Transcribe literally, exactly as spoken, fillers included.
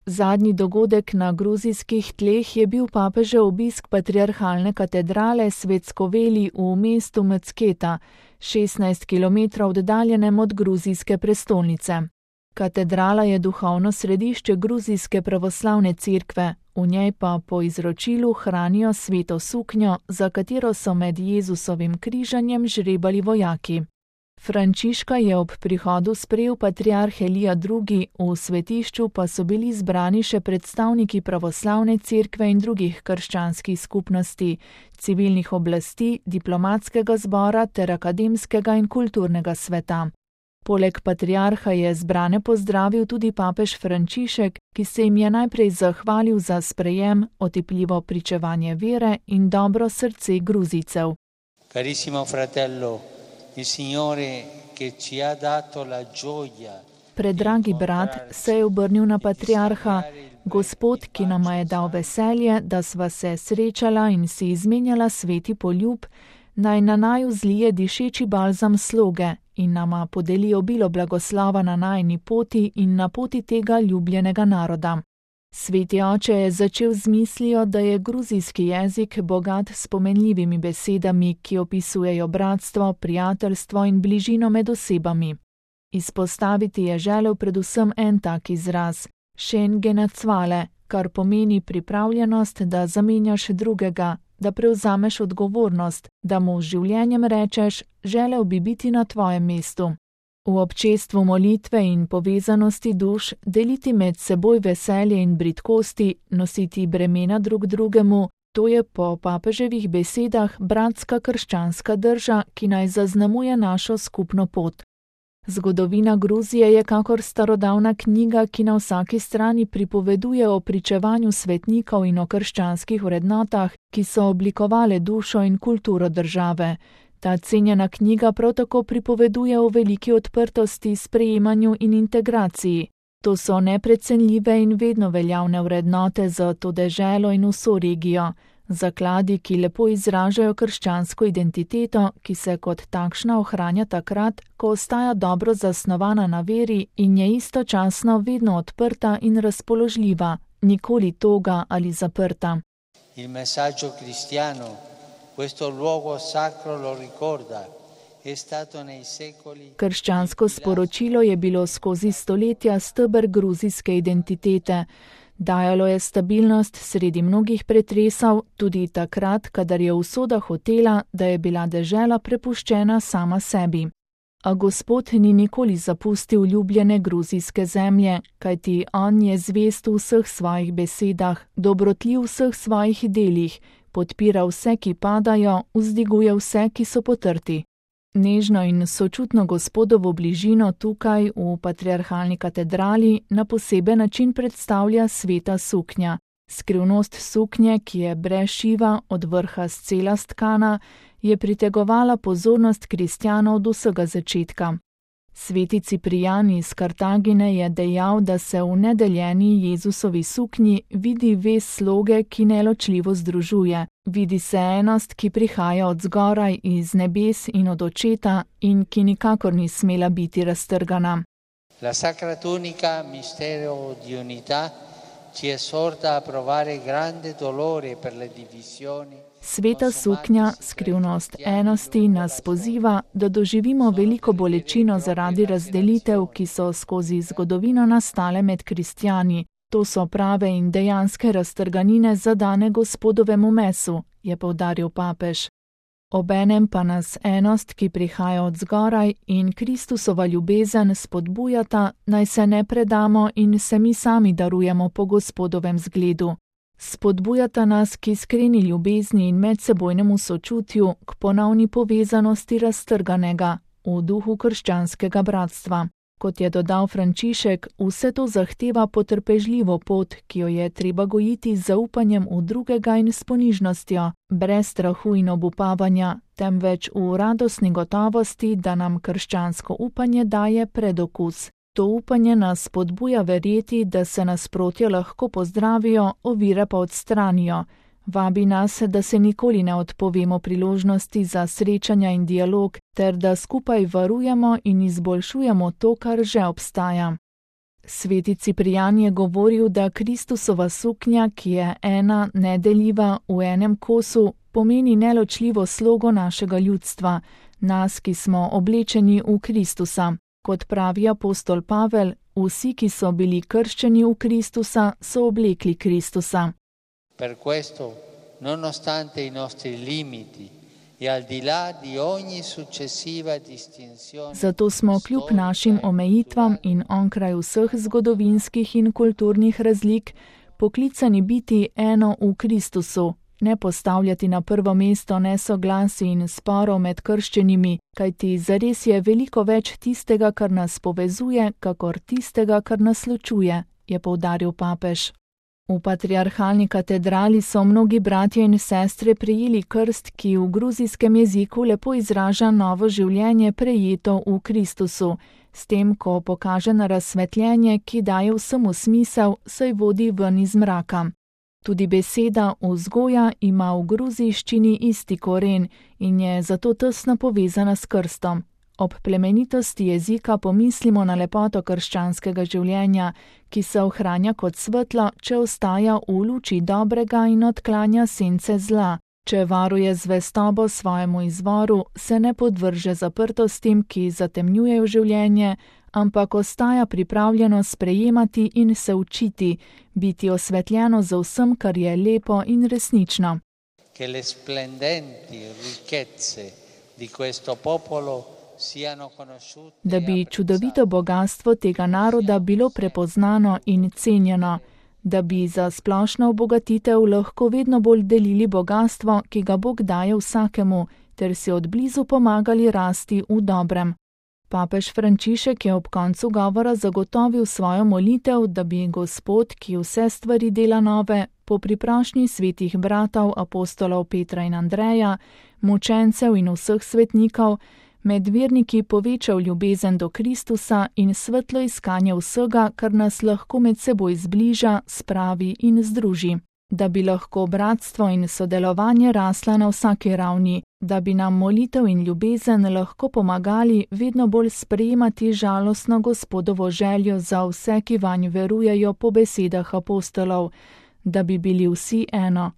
Zadnji dogodek na gruzijskih tleh je bil papežev obisk patriarhalne katedrale Svetsko Veli v mestu Mcketa, šestnajst kilometrov oddaljenem od gruzijske prestolnice. Katedrala je duhovno središče gruzijske pravoslavne cerkve, v njej pa po izročilu hranijo sveto suknjo, za katero so med Jezusovim križanjem žrebali vojaki. Frančiška je ob prihodu sprejel patriarh Elija drugi, v svetišču pa so bili zbrani še predstavniki pravoslavne cerkve in drugih krščanskih skupnosti, civilnih oblasti, diplomatskega zbora ter akademskega in kulturnega sveta. Poleg patriarha je zbrane pozdravil tudi papež Frančišek, ki se jim je najprej zahvalil za sprejem, otipljivo pričevanje vere in dobro srce Gruzijcev. Carissimo fratello, il Signore che ci ha dato la gioia. Predragi brat, se je obrnil na patriarha, Gospod, ki nama je dal veselje, da sva se srečala in si izmenjala sveti poljub, naj na naju zlije dišeči balzam sloge in nama podeli obilo blagoslova na najini poti in na poti tega ljubljenega naroda. Sveti oče je začel z mislijo, da je gruzijski jezik bogat s pomenljivimi besedami, ki opisujejo bratstvo, prijateljstvo in bližino med osebami. Izpostaviti je želel predvsem en tak izraz, šen genacvale, kar pomeni pripravljenost, da zamenjaš drugega, da prevzameš odgovornost, da mu z življenjem rečeš, želel bi biti na tvojem mestu. V občestvu molitve in povezanosti duš deliti med seboj veselje in bridkosti, nositi bremena drug drugemu, to je po papeževih besedah bratska krščanska drža, ki naj zaznamuje našo skupno pot. Zgodovina Gruzije je kakor starodavna knjiga, ki na vsaki strani pripoveduje o pričevanju svetnikov in o krščanskih vrednotah, ki so oblikovale dušo in kulturo države. Ta cenjena knjiga prav tako pripoveduje o veliki odprtosti, sprejemanju in integraciji. To so neprecenljive in vedno veljavne vrednote za to deželo in vso regijo. Zakladi, ki lepo izražajo krščansko identiteto, ki se kot takšna ohranja takrat, ko ostaja dobro zasnovana na veri in je istočasno vedno odprta in razpoložljiva, nikoli toga ali zaprta. Il messaggio cristiano, questo luogo sacro lo ricorda, è stato nei secoli. Krščansko sporočilo je bilo skozi stoletja steber gruzijske identitete. Dajalo je stabilnost sredi mnogih pretresov, tudi takrat, kadar je usoda hotela, da je bila dežela prepuščena sama sebi. A Gospod ni nikoli zapustil ljubljene gruzijske zemlje, kajti on je zvest v vseh svojih besedah, dobrotljiv v vseh svojih delih, podpira vse, ki padajo, vzdiguje vse, ki so potrti. Nežno in sočutno Gospodovo bližino tukaj v patriarhalni katedrali na poseben način predstavlja sveta suknja. Skrivnost suknje, ki je brez šiva, od vrha scela stkana, je pritegovala pozornost kristjanov do vsega začetka. Sveti Ciprijan iz Kartagine je dejal, da se v nedeljeni Jezusovi suknji vidi vez sloge, ki neločljivo združuje. Vidi se enost, ki prihaja od zgoraj iz nebes in od očeta in ki nikakor ni smela biti raztrgana. La sacra tunica, mistero di unità, ci esorta a provare grande dolore per le divisioni. Sveta suknja, skrivnost enosti, nas poziva, da doživimo veliko bolečino zaradi razdelitev, ki so skozi zgodovino nastale med kristjani. To so prave in dejanske raztrganine zadane Gospodovemu mesu, je poudaril papež. Obenem pa nas enost, ki prihaja od zgoraj, in Kristusova ljubezen spodbujata, naj se ne predamo in se mi sami darujemo po Gospodovem zgledu. Spodbujata nas k iskreni ljubezni in medsebojnemu sočutju, k ponovni povezanosti raztrganega, v duhu krščanskega bratstva. Kot je dodal Frančišek, vse to zahteva potrpežljivo pot, ki jo je treba gojiti z zaupanjem v drugega in s ponižnostjo, brez strahu in obupavanja, temveč v radostni gotovosti, da nam krščansko upanje daje predokus. To upanje nas spodbuja verjeti, da se nasprotja lahko pozdravijo, ovire pa odstranijo. Vabi nas, da se nikoli ne odpovemo priložnosti za srečanja in dialog, ter da skupaj varujemo in izboljšujemo to, kar že obstaja. Sveti Ciprijan je govoril, da Kristusova suknja, ki je ena, nedeljiva, v enem kosu, pomeni neločljivo slogo našega ljudstva, nas, ki smo oblečeni v Kristusa. Kot pravi apostol Pavel, vsi, ki so bili krščeni v Kristusa, so oblekli Kristusa. Per questo, nonostante i nostri limiti e al di là di ogni successiva distinzione, zato smo kljub našim omejitvam in onkraj vseh zgodovinskih in kulturnih razlik poklicani biti eno v Kristusu, ne postavljati na prvo mesto nesoglasij in sporov med krščenimi, kajti zares je veliko več tistega, kar nas povezuje, kakor tistega, kar nas ločuje, je poudaril papež. V patriarhalni katedrali so mnogi bratje in sestre prejeli krst, ki v gruzijskem jeziku lepo izraža novo življenje prejeto v Kristusu, s tem, ko pokaže na razsvetljenje, ki daje vsemu smisel, saj vodi ven iz mraka. Tudi beseda vzgoja ima v gruzijščini isti koren in je zato tesno povezana s krstom. Ob plemenitosti jezika pomislimo na lepoto krščanskega življenja, ki se ohranja kot svetlo, če ostaja v luči dobrega in odklanja sence zla. Če varuje zvestobo svojemu izvoru, se ne podvrže zaprtostim, ki zatemnjujejo življenje, ampak ostaja pripravljeno sprejemati in se učiti, biti osvetljeno za vsem, kar je lepo in resnično. Che le splendenti ricchezze di questo popolo siano conosciute. Da bi čudovito bogastvo tega naroda bilo prepoznano in cenjeno, da bi za splošno obogatitev lahko vedno bolj delili bogastvo, ki ga Bog daje vsakemu, ter si od blizu pomagali rasti v dobrem. Papež Frančišek je ob koncu govora zagotovil svojo molitev, da bi Gospod, ki vse stvari dela nove, po priprošnji svetih bratov, apostolov Petra in Andreja, mučencev in vseh svetnikov, med verniki povečal ljubezen do Kristusa in svetlo iskanje vsega, kar nas lahko med seboj zbliža, spravi in združi. Da bi lahko bratstvo in sodelovanje rasla na vsaki ravni, da bi nam molitev in ljubezen lahko pomagali vedno bolj sprejemati žalostno Gospodovo željo za vse, ki vanj verujejo po besedah apostolov, da bi bili vsi eno.